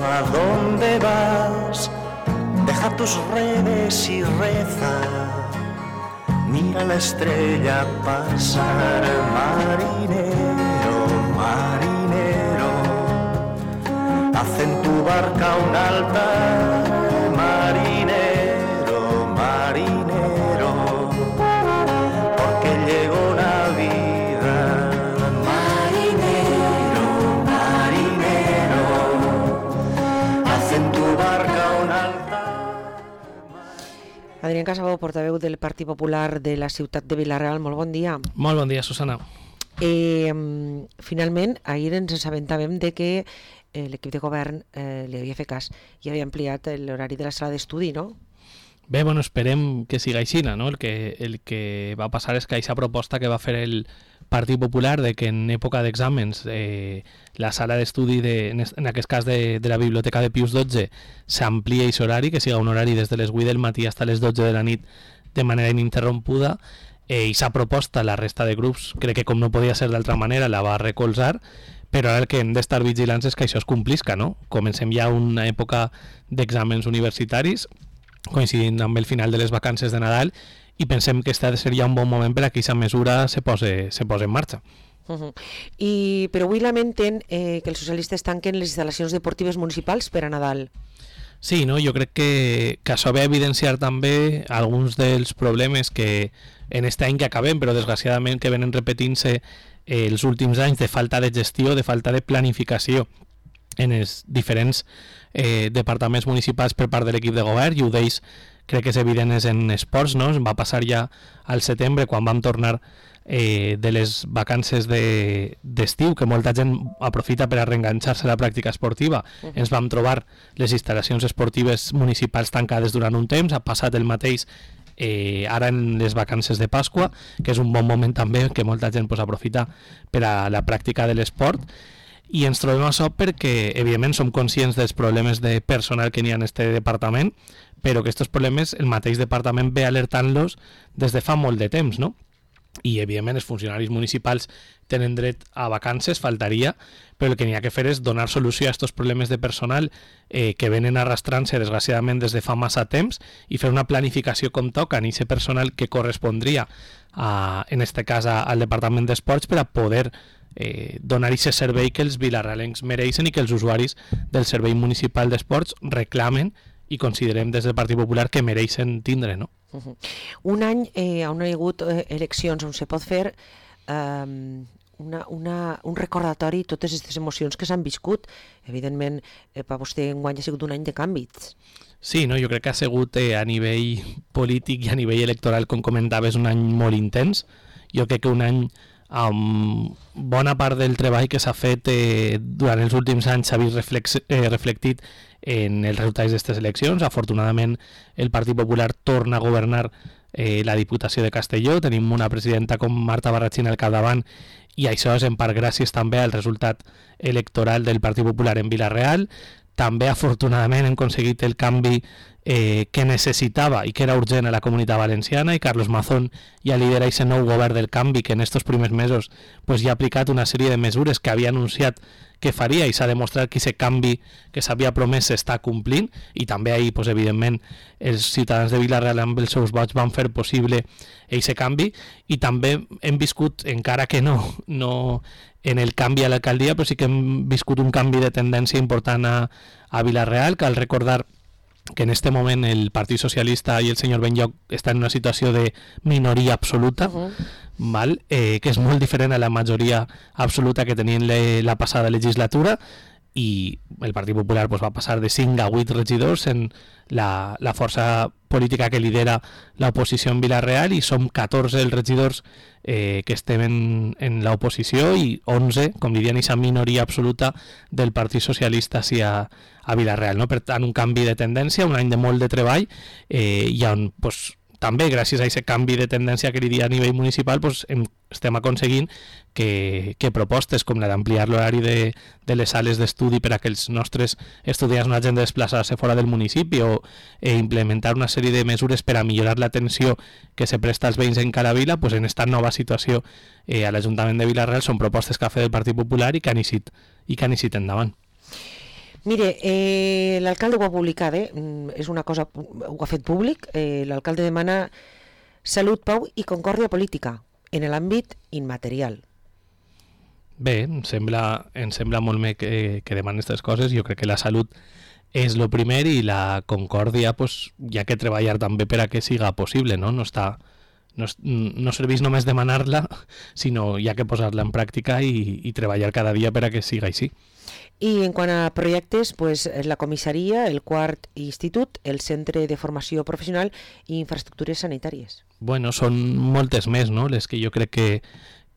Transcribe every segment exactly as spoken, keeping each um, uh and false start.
¿a dónde vas? Deja tus redes y reza. Mira la estrella pasar, marinero, marinero. Haz en tu barca un altar, marinero, marinero. Porque llegó la vida, marinero, marinero. Haz en tu barca un altar. Adrián Casabó, portaveu del Partit Popular de la ciutat de Vila-real, molt bon dia. Molt bon dia, Susana. Eh, finalment, ahir ens assabentàvem de que eh, l'equip de govern eh, li havia fet cas i havia ampliat l'horari de la sala d'estudi, no? Bé, bueno, esperem que siga així, no? El que, el que va passar és que aquesta proposta que va fer el Partit Popular de que en època d'exàmens eh, la sala d'estudi, de, en, en aquest cas de, de la Biblioteca de Pius dotze, s'amplia aquest horari, que siga un horari des de les vuit del matí fins a les dotze de la nit de manera ininterrompuda. Eh, I s'ha proposta la resta de grups, crec que com no podia ser d'altra manera, la va recolzar, però ara el que hem d'estar vigilants és que això es complisca, no? Comencem ja una època d'exàmens universitaris, coincidint amb el final de les vacances de Nadal, i pensem que este seria un bon moment per a que aquesta mesura se pose, se pose en marxa. Uh-huh. I, però avui lamenten eh, que els socialistes tanquen les instal·lacions deportives municipals per a Nadal. Sí, no? Jo crec que, que això ve a evidenciar també alguns dels problemes que en aquest any que acabem, però desgraciadament que venen repetint-se eh, els últims anys, de falta de gestió, de falta de planificació en els diferents eh, departaments municipals per part de l'equip de govern, i ho deix, crec que és evident, és en esports, no? Va passar ja al setembre, quan vam tornar eh, de les vacances de, d'estiu, que molta gent aprofita per a reenganxar-se a la pràctica esportiva. Uh-huh. Ens vam trobar les instal·lacions esportives municipals tancades durant un temps, ha passat el mateix eh, ara en les vacances de Pasqua, que és un bon moment també que molta gent pues, aprofita per a la pràctica de l'esport. I ens trobem això perquè, evidentment, som conscients dels problemes de personal que n'hi ha en este departament, però que aquests problemes el mateix departament ve alertant-los des de fa molt de temps, no? I, evidentment, els funcionaris municipals tenen dret a vacances, faltaria, però el que n'hi ha que fer és donar solució a aquests problemes de personal eh, que venen arrastrant-se, desgraciadament, des de fa massa temps, i fer una planificació com toca en aquest personal que correspondria, a, en este cas, a, al Departament d'Esports, per a poder Eh, donar aquest servei que els vilarrealencs mereixen i que els usuaris del Servei Municipal d'Esports reclamen i considerem des del Partit Popular que mereixen tindre, no? Uh-huh. Un any eh, on hi ha hagut eh, eleccions on se pot fer eh, una, una, un recordatori de totes aquestes emocions que s'han viscut. Evidentment, eh, per vostè enguany ha sigut un any de canvis. Sí, no? Jo crec que ha sigut eh, a nivell polític i a nivell electoral, com comentaves, un any molt intens. Jo crec que un any amb bona part del treball que s'ha fet eh, durant els últims anys s'ha vist reflex, eh, reflectit en els resultats d'aquestes eleccions. Afortunadament el Partit Popular torna a governar eh, la Diputació de Castelló, tenim una presidenta com Marta Barrachín al capdavant, i això és en part gràcies també al resultat electoral del Partit Popular en Vila-real. També afortunadament hem aconseguit el canvi eh, que necessitava i que era urgent a la Comunitat Valenciana, i Carlos Mazón ja lidera aquest nou govern del canvi que en aquests primers mesos pues, ja ha aplicat una sèrie de mesures que havia anunciat que faria, i s'ha demostrat que aquest canvi que s'havia promès s'està complint, i també ahir, pues, evidentment, els ciutadans de Vila-real amb els seus vots van fer possible aquest canvi. I també hem viscut, encara que no, no en el canvi a l'alcaldia, però sí que hem viscut un canvi de tendència important a, a Vila-real. Cal recordar que en este moment el Partit Socialista i el senyor Benlloc estan en una situació de minoria absoluta, uh-huh. val? Eh, que és molt diferent a la majoria absoluta que tenien le, la passada legislatura, i el Partit Popular pues, va passar de cinc a vuit regidors en la, la força política que lidera l'oposició en Vila-real, i som catorze els regidors eh, que estem en, en l'oposició, i onze, com diríem, aquesta minoria absoluta del Partit Socialista sí, a, a Vila-real, no? Per tant, un canvi de tendència, un any de molt de treball, eh, i on pues, també gràcies a aquest canvi de tendència que diria a nivell municipal pues, hem, estem aconseguint que, que propostes com la d'ampliar l'horari de, de les sales d'estudi per a que els nostres estudiants no hagin de desplaçar-se fora del municipi, o eh, implementar una sèrie de mesures per a millorar l'atenció que se presta als veïns en cada vila, pues, en aquesta nova situació eh, a l'Ajuntament de Vila-real són propostes que ha fet el Partit Popular i que han eixit, i que han eixit endavant. Mire, eh, l'alcalde ho ha publicat, eh? És una cosa, ho ha fet públic, eh, l'alcalde demana salut, pau i concòrdia política en l'àmbit immaterial. Bé, em sembla, em sembla molt bé que, que demanen aquestes coses. Jo crec que la salut és el primer i la concòrdia pues, hi ha que treballar també per a que siga possible, no? No, està, no, no serveix només demanar-la, sinó hi ha que posar-la en pràctica i, i treballar cada dia per a que siga així. I en quant a projectes, pues, la comissaria, el quart institut, el centre de formació professional i infraestructures sanitàries. Bueno, són moltes més, no?, les que jo crec que,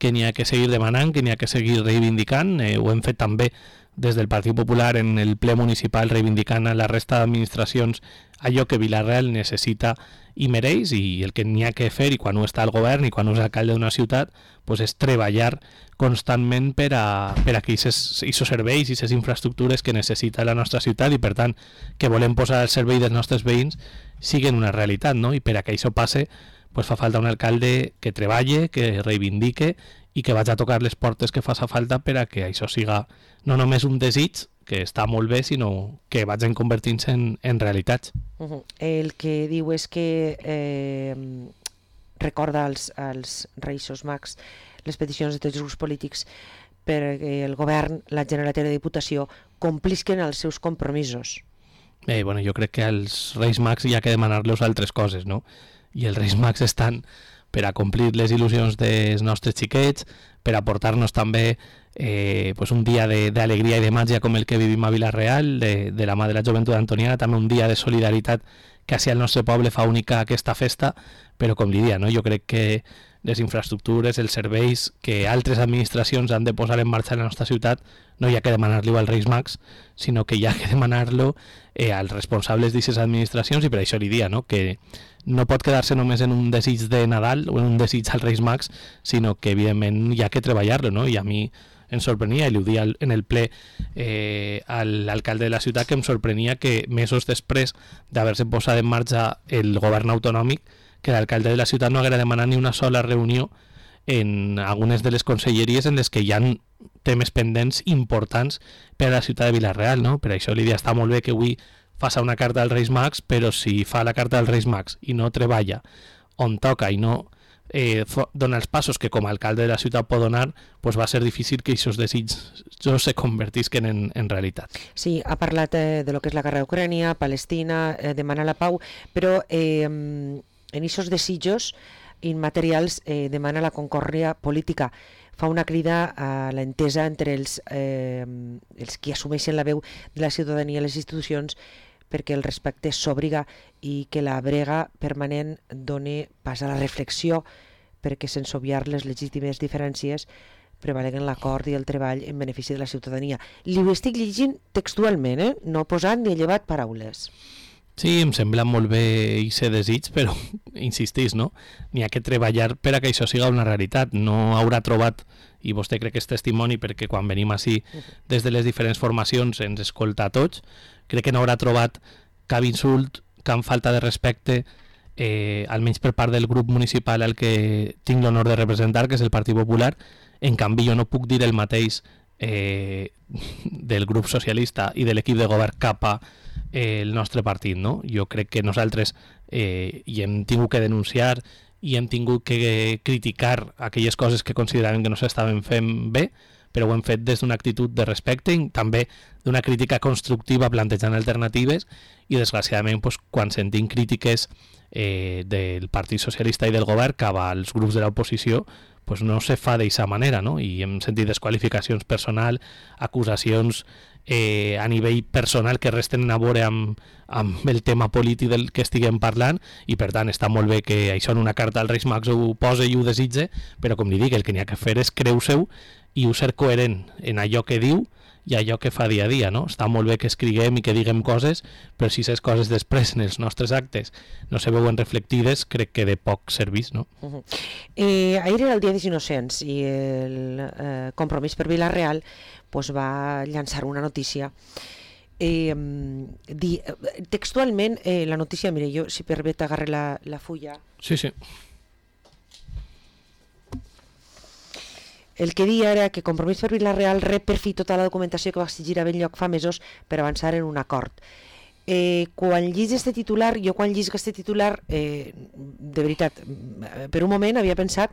que n'hi ha que seguir demanant, que n'hi ha que seguir reivindicant. Eh, ho hem fet també des del Partit Popular en el ple municipal reivindicant a la resta d'administracions allò que Vila-real necessita i mereix, i el que n'hi ha que fer, i quan ho està el govern i quan ho és alcalde d'una ciutat, pues és treballar constantment per a, per a que aquests serveis i aquestes infraestructures que necessita la nostra ciutat i per tant que volem posar al servei dels nostres veïns siguin una realitat, no? I per a que això passe pues fa falta un alcalde que treballe, que reivindique i que vagi a tocar les portes que faça falta per a que això siga no només un desig, que està molt bé, sinó que vagin convertint-se en, en realitats. Uh-huh. El que diu és que eh, recorda als, als Reis Mags les peticions de tots els grups polítics perquè el govern, la Generalitat i la Diputació complisquen els seus compromisos. Eh, bueno, jo crec que als Reis Mags hi ha que demanar-los altres coses, no? I els Reis Mags estan per a complir les il·lusions dels nostres xiquets, per a portar-nos també eh, pues un dia d'alegria i de màgia com el que vivim a Vila-real, de, de la mà de la joventut antoniana, també un dia de solidaritat que hacia el nostre poble fa única aquesta festa, però com li dia, no? Jo crec que les infraestructures, els serveis que altres administracions han de posar en marxa en la nostra ciutat, no hi ha que demanar-lo als Reis Mags, sinó que hi ha que demanar-lo eh, als responsables d'aquestes administracions, i per això li dia, no? Que no pot quedar-se només en un desig de Nadal o en un desig als Reis Mags, sinó que evidentment hi ha que treballar-lo, no? I a mi em sorprenia, i li ho dia en el ple eh, a l'alcalde de la ciutat, que em sorprenia que mesos després d'haver-se posat en marxa el govern autonòmic, que l'alcalde de la ciutat no haguera demanat ni una sola reunió en algunes de les conselleries en les que hi ha temes pendents importants per a la ciutat de Vila-real, no? Per això l'idea està molt bé que avui faça una carta als Reis Mags, però si fa la carta als Reis Mags i no treballa on toca i no eh, dona els passos que com a alcalde de la ciutat pot donar, pues va ser difícil que aquests desitjos se convertisquen en, en realitat. Sí, ha parlat eh, de lo que és la guerra d'Ucrània, Palestina, eh, demana la pau, però eh, en aquests desitjos immaterials eh, demana la concòrdia política. Fa una crida a l'entesa entre els, eh, els qui assumeixen la veu de la ciutadania i les institucions perquè el respecte s'obriga i que la brega permanent doni pas a la reflexió perquè sense obviar les legítimes diferències prevaleguen l'acord i el treball en benefici de la ciutadania. Li ho estic llegint textualment, eh? No posant ni he llevat paraules. Sí, em sembla molt bé i ser desig, però insistís, no? N'hi ha que treballar per a que això siga una realitat. No haurà trobat, i vostè crec que és testimoni perquè quan venim així des de les diferents formacions ens escolta a tots, crec que no haurà trobat cap insult, cap falta de respecte, eh, almenys per part del grup municipal al que tinc l'honor de representar, que és el Partit Popular. En canvi, jo no puc dir el mateix eh, del grup socialista i de l'equip de govern cap a eh, el nostre partit, no? Jo crec que nosaltres eh, hi hem tingut que denunciar i hem tingut que criticar aquelles coses que consideràvem que no s'estaven fent bé, però ho hem fet des d'una actitud de respecte i també d'una crítica constructiva plantejant alternatives, i desgraciadament pues, quan sentim crítiques eh, del Partit Socialista i del govern cap als grups de l'oposició, pues no se fa d'aquesta manera, no? I hem sentit desqualificacions personal, acusacions eh, a nivell personal que resten a veure amb, amb el tema polític del que estiguem parlant, i per tant està molt bé que això en una carta als Reis Mags ho posa i ho desitge, però com li dic, el que n'hi ha que fer és creu-seu i ho ser coherent en allò que diu i allò que fa dia a dia, no? Està molt bé que escriguem i que diguem coses, però si aquestes coses després en els nostres actes no se veuen reflectides, crec que de poc servís, no? Uh-huh. eh, ahir era el Dia dels Innocents i el eh, Compromís per Vila-real pues, va llançar una notícia. Eh, di, textualment, eh, la notícia, mire, jo si permet agarre la, la fulla. Sí, sí. el que dia era que Compromís per Vila-real rep per fi tota la documentació que va exigir a Benlloc fa mesos per avançar en un acord. Eh, quan llis este titular, jo quan llis este titular, eh, de veritat, per un moment havia pensat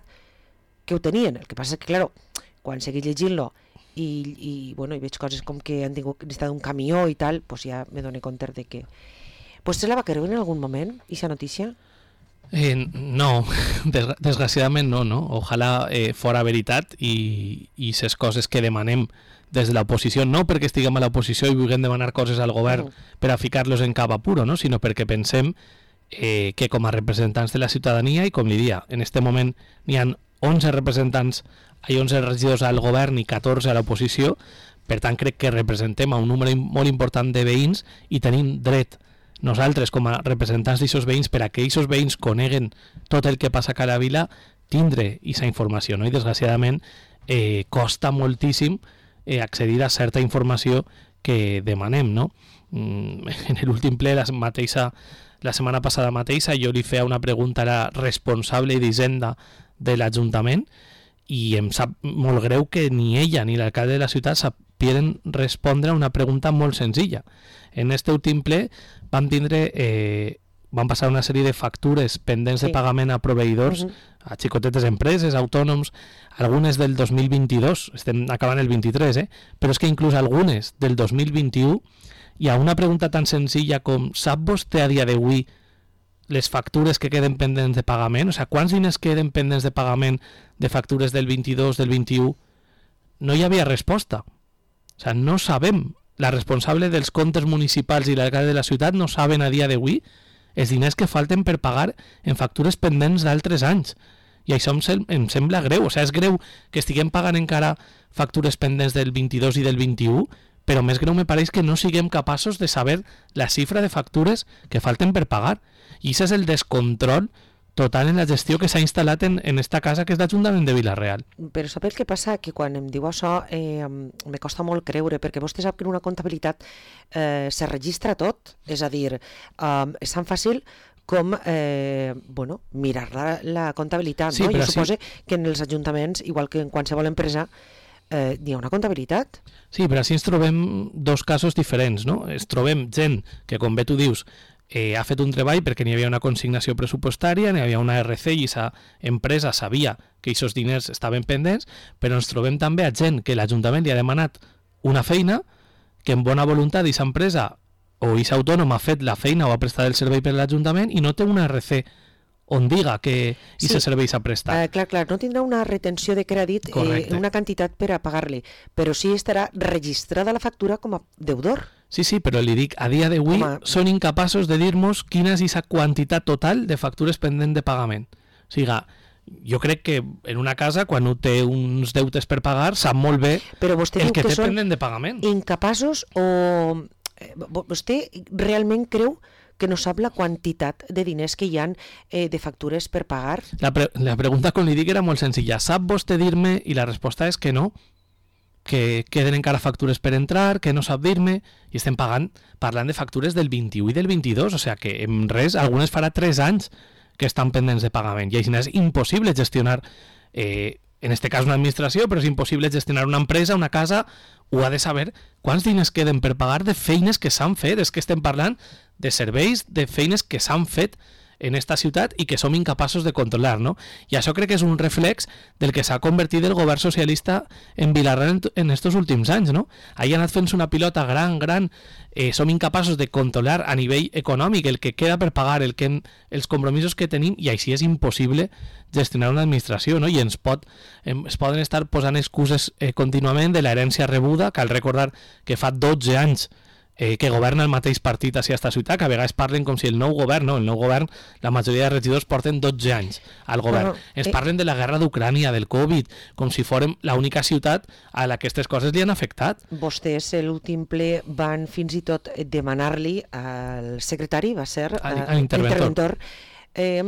que ho tenien. El que passa és que, claro, quan seguís llegint-lo i, i, bueno, i veig coses com que han tingut necessitat un camió i tal, pues ja me dono compte de que... Pues se la va creure en algun moment, aquesta notícia? Eh, no, Desgra desgraciadament no, no? Ojalà eh, fora veritat i, i ses coses que demanem des de l'oposició, no perquè estiguem a l'oposició i vulguem demanar coses al govern mm. per a ficar-los en cap apuro, no? Sinó perquè pensem eh, que com a representants de la ciutadania, i com li dia, en este moment n'hi ha onze representants, hi ha onze regidors al govern i catorze a l'oposició, per tant crec que representem a un número molt important de veïns i tenim dret nosaltres com a representants d'aixòs veïns per a que aquests veïns coneguen tot el que passa a cada vila, tindre aquesta informació, no? I desgraciadament eh, costa moltíssim eh, accedir a certa informació que demanem, no? Mm, en l'últim ple, la, mateixa, la setmana passada mateixa, jo li feia una pregunta a la responsable d'Hisenda de l'Ajuntament i em sap molt greu que ni ella ni l'alcalde de la ciutat sapien respondre a una pregunta molt senzilla. En este últim ple vam tindre, eh, van passar una sèrie de factures pendents sí. de pagament a proveïdors, uh -huh. a xicotetes empreses, autònoms, algunes del dos mil vint-i-dos, estem acabant el vint-i-tres, eh? Però és que inclús algunes del dos mil vint-i-u, hi ha una pregunta tan senzilla com sap vostè a dia d'avui les factures que queden pendents de pagament? O sigui, quants diners queden pendents de pagament de factures del vint-i-dos, del vint-i-u? No hi havia resposta. O sigui, no sabem. La responsable dels comptes municipals i l'alcalde de la ciutat no saben a dia d'avui els diners que falten per pagar en factures pendents d'altres anys. I això em, sem em sembla greu. O sigui, és greu que estiguem pagant encara factures pendents del vint-i-dos i del vint-i-u, però més greu me pareix que no siguem capaços de saber la xifra de factures que falten per pagar. I això és el descontrol total en la gestió que s'ha instal·lat en, en esta casa que és l'Ajuntament de Vila-real. Però sap el que passa? Que quan em diu això eh, me costa molt creure, perquè vostè sap que en una comptabilitat eh, se registra tot, és a dir, eh, és tan fàcil com eh, bueno, mirar la, la comptabilitat. Sí, no? Jo sí. suposo que en els ajuntaments, igual que en qualsevol empresa, eh, hi ha una comptabilitat. Sí, però així ens trobem dos casos diferents, no? Ens trobem gent que, com bé tu dius, Eh, ha fet un treball perquè n'hi havia una consignació pressupostària, n'hi havia una R C i aquesta empresa sabia que aquests diners estaven pendents, però ens trobem també a gent que l'Ajuntament li ha demanat una feina, que en bona voluntat aquesta empresa o aquest autònom ha fet la feina o ha prestat el servei per l'Ajuntament i no té una R C on diga que aquest sí. servei s'ha prestat. Uh, clar, clar, no tindrà una retenció de crèdit, eh, una quantitat per a pagar-li, però sí estarà registrada la factura com a deudor. Sí, sí, però li dic, a dia d'avui són incapaços de dir-nos quina és aquesta quantitat total de factures pendent de pagament. O sigui, jo crec que en una casa, quan un té uns deutes per pagar, sap molt bé però vostè el que, que té són pendent de pagament. Incapaços o... Vostè realment creu que no sap la quantitat de diners que hi ha eh, de factures per pagar? La, pre la pregunta, com li dic, era molt senzilla. Sap vostè dir-me? I la resposta és que no, que queden encara factures per entrar, que no sap dir-me, i estem pagant, parlant de factures del vint-i-u i del vint-i-dos, o sigui que en res, algunes farà tres anys que estan pendents de pagament, i així és impossible gestionar, eh, en este cas una administració, però és impossible gestionar una empresa, una casa, ho ha de saber quants diners queden per pagar de feines que s'han fet, és que estem parlant de serveis, de feines que s'han fet en esta ciutat i que som incapaços de controlar, no? I això crec que és un reflex del que s'ha convertit el govern socialista en Vila-real en estos últims anys, no? Ahir ha anat fent una pilota gran, gran, eh, som incapaços de controlar a nivell econòmic el que queda per pagar, el que, els compromisos que tenim, i així és impossible gestionar una administració, no? I ens, pot, es poden estar posant excuses eh, contínuament de l'herència rebuda. Cal recordar que fa dotze anys Eh, que governa el mateix partit a aquesta ciutat, que a vegades parlen com si el nou govern, no, el nou govern, la majoria de regidors porten dotze anys al govern. Bueno, Ens eh... parlen de la guerra d'Ucrània, del Covid, com si fórem l'única ciutat a la que aquestes coses li han afectat. Vostès, l'últim ple, van fins i tot demanar-li al secretari, va ser, a, a interventor, interventor eh,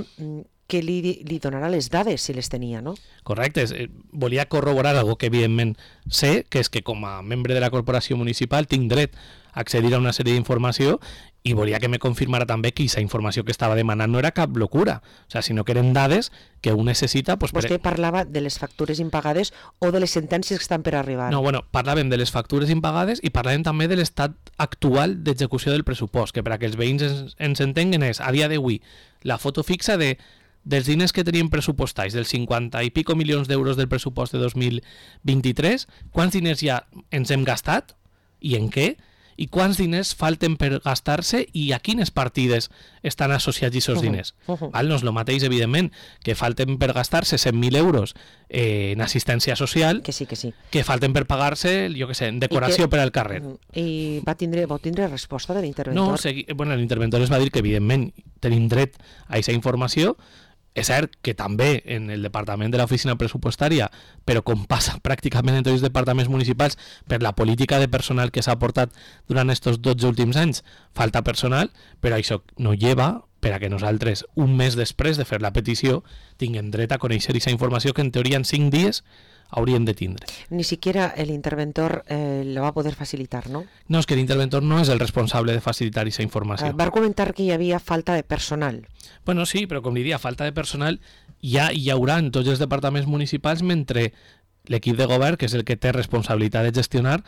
que li, li donarà les dades si les tenia, no? Correcte, eh, volia corroborar algo que evidentment sé, que és que com a membre de la corporació municipal tinc dret a accedir a una sèrie d'informació i volia que me confirmara també que aquesta informació que estava demanant no era cap locura, o sea, sinó que eren dades que un necessita... Pues, Vostè per... parlava de les factures impagades o de les sentències que estan per arribar? No, bueno, parlàvem de les factures impagades i parlàvem també de l'estat actual d'execució del pressupost, que per a que els veïns ens, ens entenguen és, a dia d'avui, la foto fixa de dels diners que teníem pressupostats, dels cinquanta i pico milions d'euros del pressupost de dos mil vint-i-tres, quants diners ja ens hem gastat i en què? I quants diners falten per gastar-se i a quines partides estan associats aquests diners. Uh -huh. Val? No és el mateix, evidentment, que falten per gastar-se cent mil euros eh, en assistència social, que sí, que sí. que falten per pagar-se, jo què sé, en decoració que, per al carrer. I va tindre, va tindre resposta de l'interventor? No, segui, bueno, l'interventor es va dir que, evidentment, tenim dret a aquesta informació. És cert que també en el departament de l'oficina pressupostària, però com passa pràcticament en tots els departaments municipals, per la política de personal que s'ha portat durant aquests dotze últims anys, falta personal, però això no lleva per a que nosaltres, un mes després de fer la petició, tinguem dret a conèixer aquesta informació que en teoria en cinc dies hauríem de tindre. Ni siquiera el interventor eh, la va poder facilitar, ¿no? No, és que l'interventor no és el responsable de facilitar aquesta informació. Eh, va argumentar que hi havia falta de personal. Bueno, sí, però com diria, falta de personal ja hi haurà en tots els departaments municipals mentre l'equip de govern, que és el que té responsabilitat de gestionar,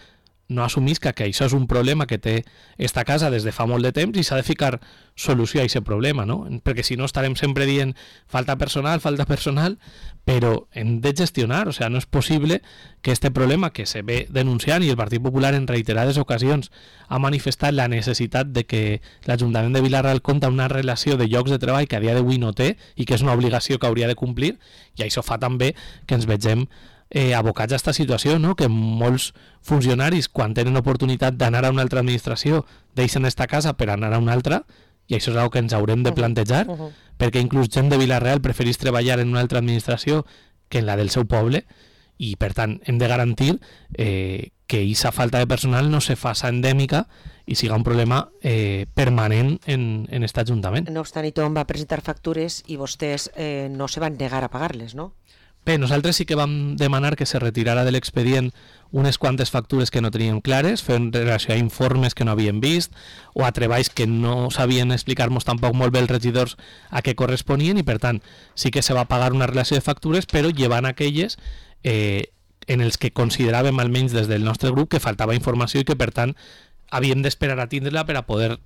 no assumisca que això és un problema que té esta casa des de fa molt de temps i s'ha de ficar solució a aquest problema, no? Perquè si no estarem sempre dient falta personal, falta personal, però hem de gestionar, o sea, no és possible que este problema que se ve denunciant i el Partit Popular en reiterades ocasions ha manifestat la necessitat de que l'Ajuntament de Vila-real compta una relació de llocs de treball que a dia d'avui no té i que és una obligació que hauria de complir, i això fa també que ens vegem Eh, abocats a aquesta situació, no? Que molts funcionaris, quan tenen oportunitat d'anar a una altra administració, deixen esta casa per anar a una altra, i això és una cosa que ens haurem de plantejar, uh -huh. perquè inclús gent de Vila-real preferís treballar en una altra administració que en la del seu poble, i per tant hem de garantir eh, que aquesta falta de personal no se faça endèmica i siga un problema eh, permanent en, en aquest Ajuntament. No obstant, i Tom va presentar factures i vostès eh, no se van negar a pagar-les, no? Bé, nosaltres sí que vam demanar que se retirara de l'expedient unes quantes factures que no teníem clares, fent relació a informes que no havíem vist o a treballs que no sabien explicar-nos tampoc molt bé els regidors a què corresponien, i per tant sí que se va pagar una relació de factures, però llevant aquelles eh, en els que consideràvem, almenys des del nostre grup, que faltava informació i que per tant havíem d'esperar a tindre-la per a poder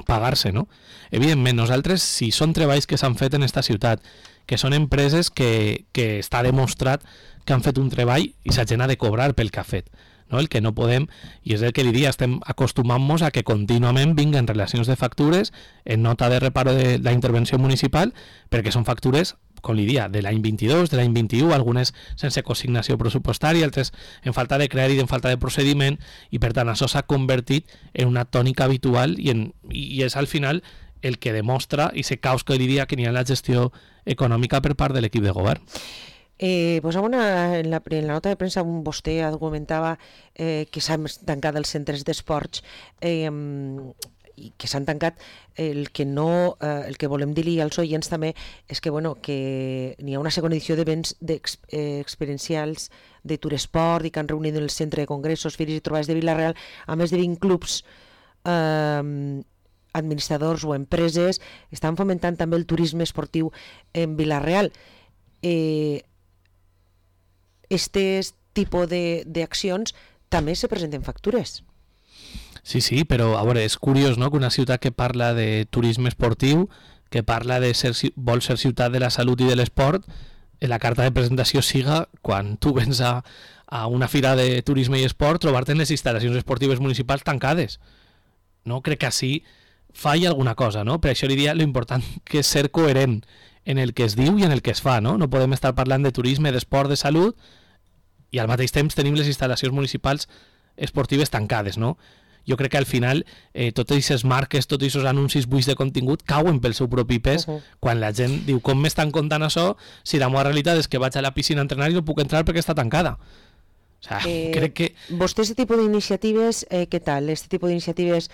pagar-se, no? Evidentment, nosaltres, si són treballs que s'han fet en esta ciutat, que són empreses que, que està demostrat que han fet un treball i la gent ha de cobrar pel que ha fet, no? El que no podem, i és el que li diria, estem acostumant-nos a que contínuament vinguen relacions de factures en nota de reparo de la intervenció municipal, perquè són factures, com li diria, de l'any vint-i-dos, de l'any vint-i-u, algunes sense consignació pressupostària, altres en falta de crèdit, en falta de procediment, i per tant això s'ha convertit en una tònica habitual i, en, i és al final el que demostra i se caos que li diria que n'hi ha la gestió econòmica per part de l'equip de govern. Eh, pues una, en, la, en la nota de premsa vostè argumentava eh, que s'han tancat els centres d'esports eh, i que s'han tancat. El que no, eh, el que volem dir-li als oients també és que, bueno, que n'hi ha una segona edició d'events d'ex, eh, experiencials de Turesport i que han reunit en el centre de congressos, fires i trobades de Vila-real a més de vint clubs eh, administradors o empreses. Estan fomentant també el turisme esportiu en Vila-real. Eh, este tipus d'accions també se presenten factures. Sí, sí, però a veure, és curiós, no?, que una ciutat que parla de turisme esportiu, que parla de ser, vol ser ciutat de la salut i de l'esport, en la carta de presentació siga, quan tu vens a, a una fira de turisme i esport, trobar-te en les instal·lacions esportives municipals tancades. No? Crec que així falla alguna cosa, no? Per això li diria l'important que és ser coherent en el que es diu i en el que es fa, no? No podem estar parlant de turisme, d'esport, de salut i al mateix temps tenim les instal·lacions municipals esportives tancades, no? Jo crec que al final eh, totes aquestes marques, tots aquests anuncis buits de contingut cauen pel seu propi pes uh -huh. quan la gent diu com m'estan contant això si la meva realitat és que vaig a la piscina a entrenar i no puc entrar perquè està tancada. O sea, Eh, crec que... Vostè, este tipus d'iniciatives, eh, què tal? Este tipus d'iniciatives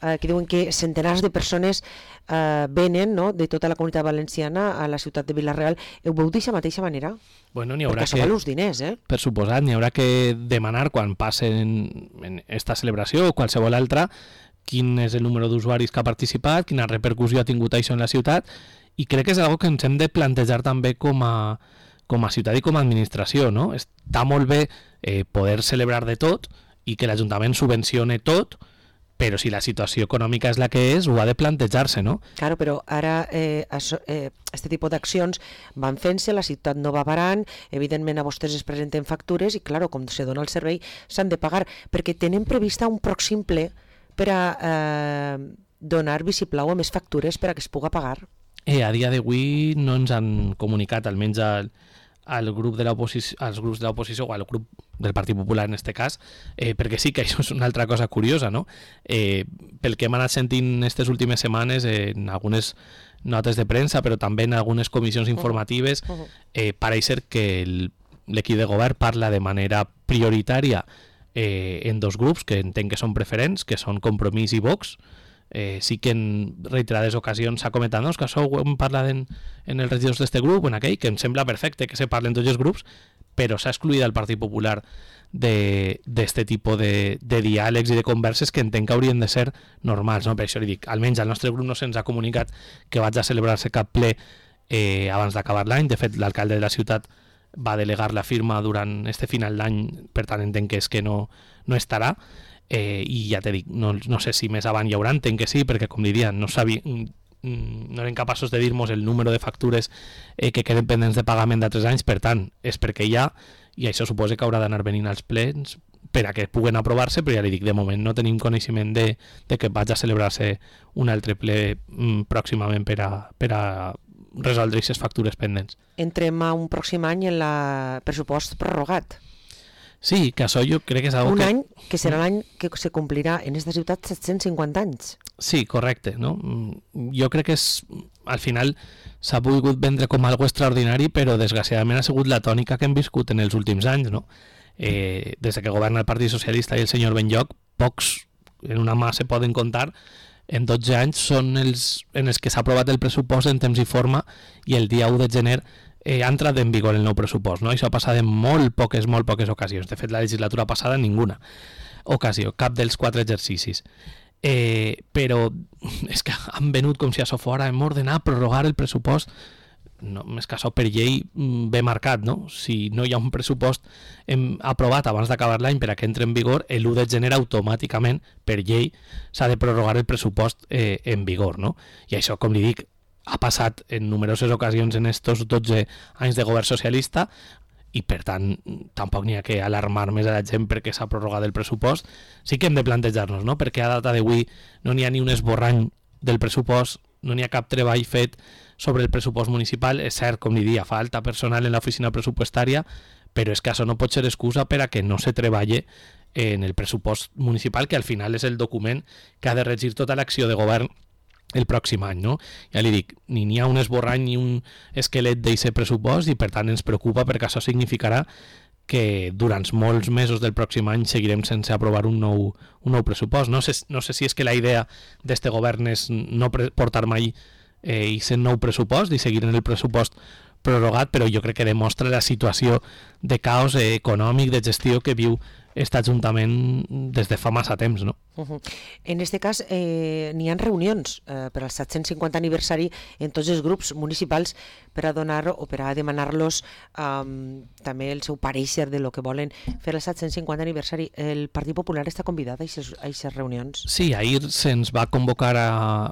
eh, que diuen que centenars de persones eh, venen, no?, de tota la comunitat valenciana a la ciutat de Vila-real, ho veu d'aquesta mateixa manera? Bueno, n'hi haurà Perquè això que... val uns diners, eh? Per suposat, n'hi haurà que demanar quan passen en esta celebració o qualsevol altra quin és el número d'usuaris que ha participat, quina repercussió ha tingut això en la ciutat, i crec que és una que ens hem de plantejar també com a, com a ciutat i com a administració, no? Està molt bé eh, poder celebrar de tot i que l'Ajuntament subvencione tot, però si la situació econòmica és la que és, ho ha de plantejar-se, no? Claro, però ara eh, això, eh, este tipus d'accions van fent-se, la ciutat no va parant, evidentment a vostès es presenten factures i, claro, com se dona el servei, s'han de pagar, perquè tenen prevista un pròxim ple per a eh, donar vistiplau a més factures per a que es puga pagar. Eh, a dia d'avui no ens han comunicat, almenys al, al grup de l'oposició, als grups de l'oposició o al grup del Partit Popular en este cas, eh, perquè sí que això és una altra cosa curiosa, no? Eh, pel que hem anat sentint aquestes últimes setmanes eh, en algunes notes de premsa, però també en algunes comissions informatives, eh, pareix ser que l'equip de govern parla de manera prioritària eh, en dos grups que entenc que són preferents, que són Compromís i Vox. Eh, sí que en reiterades ocasions s'ha comentat, no? Que això ho hem parlat en, en els regidors d'este grup, en aquell, que em sembla perfecte que se parlen tots els grups, però s'ha excluït el Partit Popular d'este tipus de, de diàlegs i de converses que entenc que haurien de ser normals, no? Per això li dic, almenys al nostre grup no se'ns ha comunicat que vaig a celebrar-se cap ple eh, abans d'acabar l'any. De fet, l'alcalde de la ciutat va delegar la firma durant este final d'any, per tant entenc que és que no, no estarà. Eh, i ja te dic, no, no sé si més avant hi haurà, entenc que sí, perquè com diria, no sabia, no eren capaços de dir-nos el número de factures eh, que queden pendents de pagament d'altres anys, per tant, és perquè hi ha, i això suposa que haurà d'anar venint als plens per a que puguen aprovar-se, però ja li dic, de moment no tenim coneixement de, de que vaig a celebrar-se un altre ple mm, pròximament per a, per a resoldre aquestes factures pendents. Entrem a un pròxim any en el pressupost prorrogat. Sí, que això jo crec que és algo un que... any que serà l'any que se complirà en esta ciutat set-cents cinquanta anys. Sí, correcte, no? Jo crec que és, al final s'ha volgut vendre com algo extraordinari, però desgraciadament ha sigut la tònica que hem viscut en els últims anys, no? Eh, des que governa el Partit Socialista i el senyor Benlloc, pocs en una mà se poden comptar, en dotze anys són els en els que s'ha aprovat el pressupost en temps i forma, i el dia u de gener Eh, ha entrat en vigor el nou pressupost, no? Això ha passat en molt poques, molt poques ocasions. De fet, la legislatura passada, ninguna ocasió, cap dels quatre exercicis. Eh, però és que han venut com si això fora, hem ordenat prorrogar el pressupost. No, més que això per llei ben marcat, no? Si no hi ha un pressupost hem aprovat abans d'acabar l'any per a que entre en vigor, l'u de gener automàticament, per llei, s'ha de prorrogar el pressupost eh, en vigor, no? I això, com li dic, ha passat en numeroses ocasions en estos dotze anys de govern socialista i per tant tampoc n'hi ha que alarmar més a la gent perquè s'ha prorrogat el pressupost. Sí que hem de plantejar-nos, no? Perquè a data d'avui no n'hi ha ni un esborrany del pressupost, no n'hi ha cap treball fet sobre el pressupost municipal. És cert, com li dia, falta personal en l'oficina pressupostària, però és que això no pot ser excusa per a que no se treballe en el pressupost municipal, que al final és el document que ha de regir tota l'acció de govern el pròxim any, no? Ja li dic, ni n'hi ha un esborrany ni un esquelet d'aquest pressupost i per tant ens preocupa perquè això significarà que durant molts mesos del pròxim any seguirem sense aprovar un nou, un nou pressupost. No sé, no sé si és que la idea d'este govern és no portar mai eh, aquest nou pressupost i seguir en el pressupost prorrogat, però jo crec que demostra la situació de caos eh, econòmic, de gestió que viu aquest Ajuntament des de fa massa temps, no? Uh-huh. En aquest cas eh, n'hi ha reunions eh, per al set-cents cinquanta aniversari en tots els grups municipals per a donar o per a demanar-los um, també el seu pareixer de lo que volen fer el set-cents cinquanta aniversari. El Partit Popular està convidat a aquestes reunions? Sí, ahir se'ns va convocar a,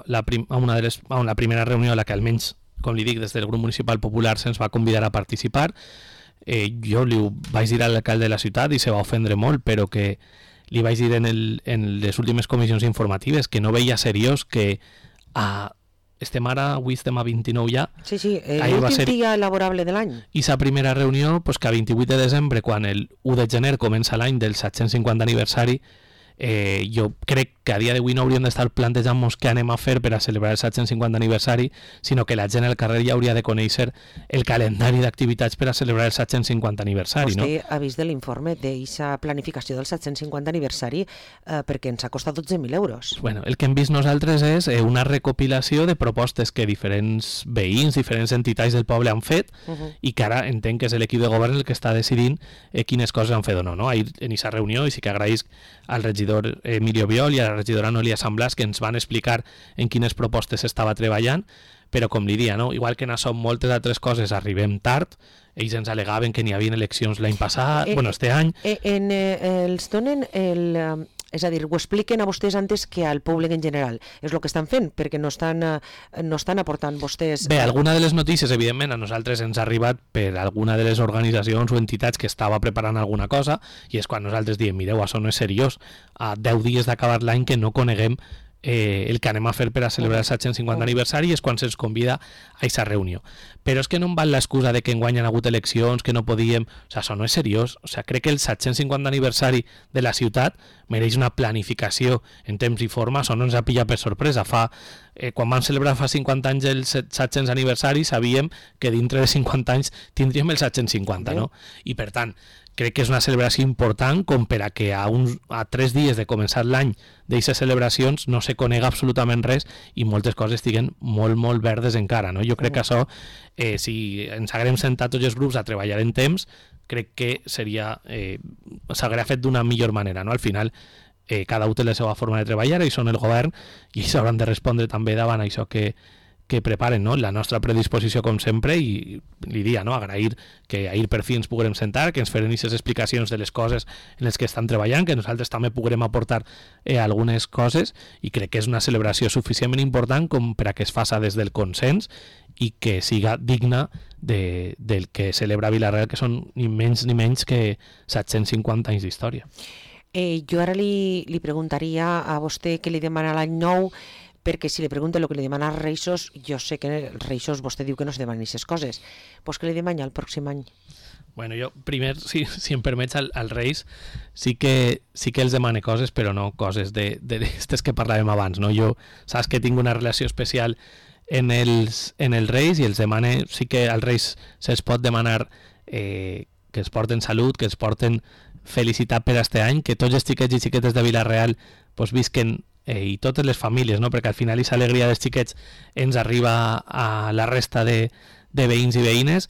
la prim, a, una de les, a una primera reunió a la que almenys, com li dic, des del grup municipal popular se'ns va convidar a participar. Eh, jo li vaig dir a l'alcalde de la ciutat i se va ofendre molt, però que li vaig dir en, el, en les últimes comissions informatives que no veia seriós que a, estem ara, avui estem a vint-i-nou ja. Sí, sí, l'últim ser... dia laborable de l'any. I sa primera reunió, pues, que a vint-i-vuit de desembre, quan el u de gener comença l'any del set-cents cinquanta aniversari, Eh, jo crec que a dia d'avui no hauríem d'estar plantejant-nos què anem a fer per a celebrar el set-cents cinquanta aniversari, sinó que la gent al carrer ja hauria de conèixer el calendari d'activitats per a celebrar el set-cents cinquanta aniversari. Vostè no? ha vist de l'informe d'aquesta planificació del set-cents cinquanta aniversari eh, perquè ens ha costat dotze mil euros. Bueno, el que hem vist nosaltres és eh, una recopilació de propostes que diferents veïns, diferents entitats del poble han fet uh -huh. i que ara entenc que és l'equip de govern el que està decidint eh, quines coses han fet o no. no? Ahir en aquesta reunió, i sí que agraïsc al regidor Emilio Biol i a la regidora Noelia Samblas que ens van explicar en quines propostes s'estava treballant, però com li dia, no? igual que en això moltes altres coses arribem tard, ells ens alegaven que n'hi havia eleccions l'any passat, eh, bueno, este any... Eh, en, eh, els donen el... Eh, és a dir, ho expliquen a vostès antes que al públic en general. És el que estan fent, perquè no estan, eh, no estan aportant vostès... Bé, alguna de les notícies, evidentment, a nosaltres ens ha arribat per alguna de les organitzacions o entitats que estava preparant alguna cosa, i és quan nosaltres diem, mireu, això no és seriós, a deu dies d'acabar l'any que no coneguem eh, el que anem a fer per a celebrar el set-cents cinquanta aniversari, és quan se'ns convida a aquesta reunió. Però és que no em val l'excusa de que enguany han hagut eleccions, que no podíem... O sigui, això no és seriós. O sigui, crec que el set-cents cinquanta aniversari de la ciutat mereix una planificació en temps i forma. Això no ens ha pillat per sorpresa. Fa, eh, quan vam celebrar fa cinquanta anys el set-cents aniversari, sabíem que dintre de cinquanta anys tindríem el set-cents cinquanta, no? I per tant, crec que és una celebració important com per a que a, uns, a tres dies de començar l'any d'aquestes celebracions no se conega absolutament res i moltes coses estiguen molt, molt verdes encara. No? Jo crec que això, eh, si ens haguem sentat tots els grups a treballar en temps, crec que seria eh, s'hauria fet d'una millor manera. No? Al final, eh, cada un té la seva forma de treballar, i són el govern, i ells hauran de respondre també davant això que que preparen, no? La nostra predisposició com sempre, i li dia, no? Agrair que ahir per fi ens puguem sentar, que ens feren aquestes explicacions de les coses en les que estan treballant, que nosaltres també puguem aportar eh, algunes coses, i crec que és una celebració suficientment important com per a que es faça des del consens i que siga digna de, del que celebra Vila-real, que són ni menys ni menys que set-cents cinquanta anys d'història. Eh, jo ara li, li preguntaria a vostè què li demana l'any nou, perquè si li pregunta el que li demana als Reixos, jo sé que els Reixos vostè diu que no se demanen aquestes coses, doncs què li demana el pròxim any? Bueno, jo primer, si, si em permets, al, al Reis sí que, sí que els demane coses, però no coses de, de, d'aquestes que parlàvem abans. No? Jo saps que tinc una relació especial en els, en els Reis, i els demane, sí que als Reis se'ls pot demanar eh, que els porten salut, que els porten felicitat per este any, que tots els xiquets i xiquetes de Vila-real pues, visquen eh, i totes les famílies, no? Perquè al final aquesta alegria dels xiquets ens arriba a la resta de, de veïns i veïnes,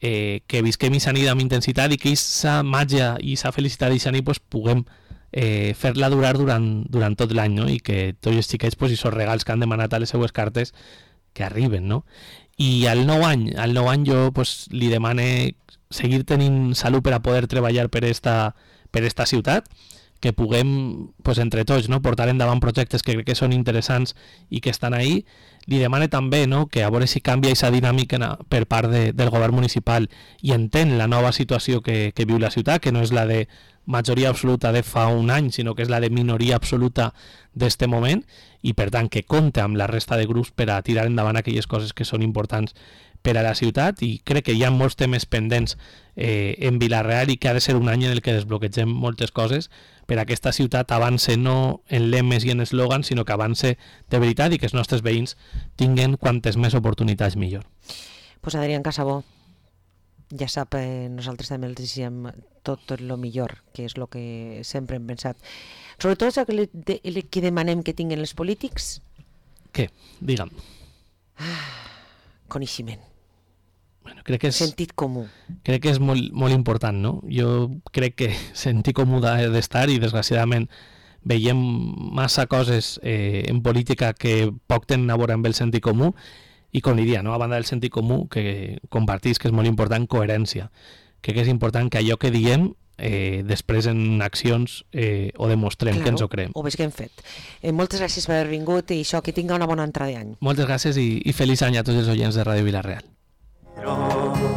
eh, que visquem aquesta nit amb intensitat i que aquesta màgia i aquesta felicitat d'aquesta nit pues, puguem eh, fer-la durar durant, durant tot l'any, no? I que tots els xiquets pues, i els regals que han demanat a les seues cartes que arriben, no? I al nou any, al nou any jo pues, li demane seguir tenint salut per a poder treballar per esta, per esta ciutat, que puguem pues, entre tots no, portar endavant projectes que crec que són interessants i que estan ahí. Li demane també no, que a veure si canvia aquesta dinàmica per part de, del govern municipal i entén la nova situació que, que viu la ciutat, que no és la de majoria absoluta de fa un any, sinó que és la de minoria absoluta d'este moment, i per tant que compte amb la resta de grups per a tirar endavant aquelles coses que són importants per a la ciutat. I crec que hi ha molts temes pendents eh, en Vila-real i que ha de ser un any en el que desbloquegem moltes coses per a aquesta ciutat avance no en lemes i en eslògans, sinó que avance de veritat i que els nostres veïns tinguen quantes més oportunitats millor. Pues Adrián Casabó, ja sap, eh, nosaltres també els diguem tot, tot el millor, que és el que sempre hem pensat. Sobretot el que, de, el que demanem que tinguin els polítics. Què? Digue'm. Ah, coneixement. Bueno, crec que és, sentit comú. Crec que és molt, molt important, no? Jo crec que sentit comú d'estar i desgraciadament veiem massa coses eh, en política que poc tenen a veure amb el sentit comú, i com diria, no? A banda del sentit comú, que compartís que és molt important, coherència. Crec que és important que allò que diem eh, després en accions eh, ho demostrem, claro, que ens ho creem. Ho veig que hem fet. Eh, moltes gràcies per haver vingut i això, que tinga una bona entrada d'any. Moltes gràcies i, i feliç any a tots els oients de Ràdio Vila-real. Pero